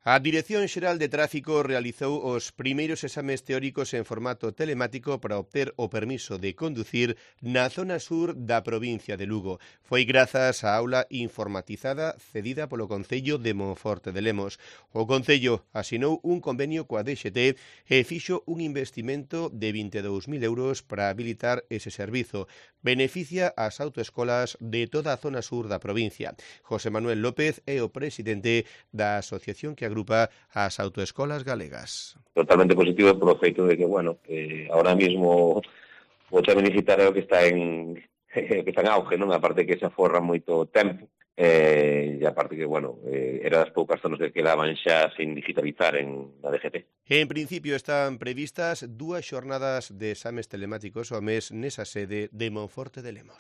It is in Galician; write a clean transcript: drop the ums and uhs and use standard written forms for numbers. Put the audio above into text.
A Dirección Xeral de Tráfico realizou os primeiros exames teóricos en formato telemático para obter o permiso de conducir na zona sur da provincia de Lugo. Foi grazas á aula informatizada cedida polo Concello de Monforte de Lemos. O Concello asinou un convenio coa DXT e fixo un investimento de 22.000 euros para habilitar ese servizo. Beneficia ás autoescolas de toda a zona sur da provincia. José Manuel López é o presidente da asociación que agrupa as autoescolas galegas. Totalmente positivo polo feito de que, ahora mismo o tema digital é o que está en auge, non? Aparte que se aforra moito tempo, e aparte que, era das poucas zonas que quedaban xa sin digitalizar na DGT. En principio están previstas 2 xornadas de exames telemáticos ao mes nesa sede de Monforte de Lemos.